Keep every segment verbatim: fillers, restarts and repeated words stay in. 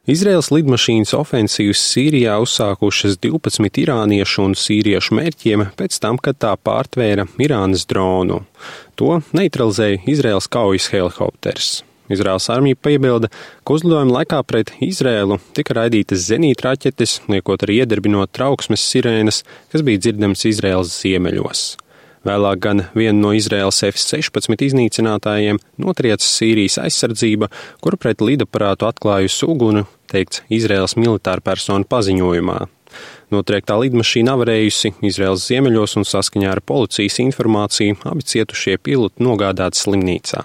Izraēlas lidmašīnas ofensīvas Sīrijā uzsākušas divpadsmit irāniešu un sīriešu mērķiem pēc tam, kad tā pārtvēra Irānas dronu. To neutralizēja Izraēlas kaujas helikopters. Izraēlas armija piebilda, ka uzlidojuma laikā pret Izraēlu tika raidītas zenītraķetes, liekot arī iedarbinot trauksmes sirēnas, kas bija dzirdams Izraēlas ziemeļos. Vēlāk gan vienu no Izraēlas F sešpadsmit iznīcinātājiem notrieca Sīrijas aizsardzība, kura pret lidaparātu atklājusi uguni, teikts Izraēlas militāra persona paziņojumā. Notriektā lidmašīna avarējusi Izraēlas ziemeļos un saskaņā ar policijas informāciju abi cietušie piloti nogādāti slimnīcā.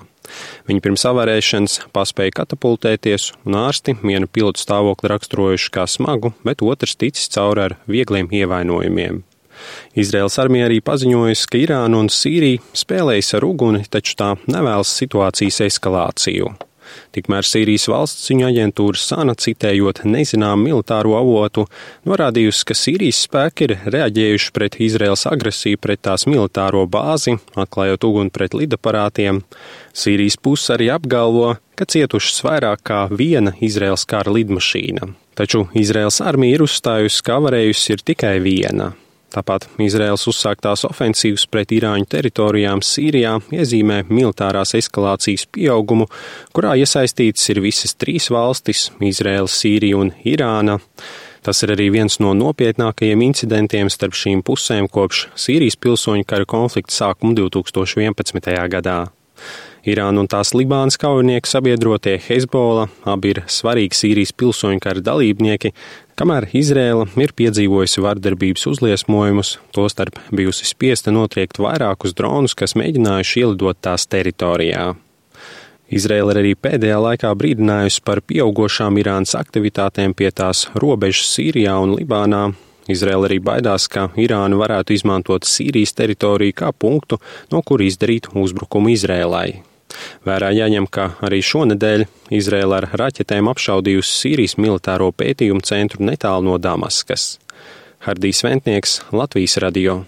Viņi pirms avarēšanas paspēja katapultēties, un ārsti vienu pilotu stāvokli raksturojuši kā smagu, bet otrs ticis cauri ar viegliem ievainojumiem. Izraēlas armija arī paziņojusi, ka Irāna un Sīrija spēlējas ar uguni, taču tā nevēlas situācijas eskalāciju. Tikmēr Sīrijas valsts ziņu aģentūra Sana, citējot nezināmu militāro avotu, norādījusi, ka Sīrijas spēki ir reaģējuši pret Izraēlas agresiju pret tās militāro bāzi, atklājot uguni pret lidaparātiem. Sīrijas puse arī apgalvo, ka cietušas vairāk kā viena Izraēlas kara lidmašīna. Taču Izraēlas armija ir uzstājusi, ka avarējusi ir tikai viena. Tāpat Izraēlas uzsāktās ofensīvas pret Irāņu teritorijām Sīrijā iezīmē militārās eskalācijas pieaugumu, kurā iesaistītas ir visas trīs valstis – Izraēla, Sīrija un Irāna. Tas ir arī viens no nopietnākajiem incidentiem starp šīm pusēm kopš Sīrijas pilsoņu kara konflikta sākuma divtūkstoš vienpadsmitajā gadā. Irāna un tās Libānas kaujinieku sabiedrotie Hezbollah abi ir svarīgi Sīrijas pilsoņu kara dalībnieki, kamēr Izraēla ir piedzīvojusi vardarbības uzliesmojumus, tostarp bijusi spiesta notriekt vairākus dronus, kas mēģinājuši ielidot tās teritorijā. Izraēla ir arī pēdējā laikā brīdinājusi par pieaugošām Irānas aktivitātēm pie tās robežas Sīrijā un Libānā. Izraēla arī baidās, ka Irāna varētu izmantot Sīrijas teritoriju kā punktu, no kur izdarīt uzbrukumu Izraēlai. Vērā jāņem, ka arī šonedēļ Izraēla ar raķetēm apšaudījusi Sīrijas militāro pētījumu centru netālu no Damaskas. Hardijs Ventnieks, Latvijas radio.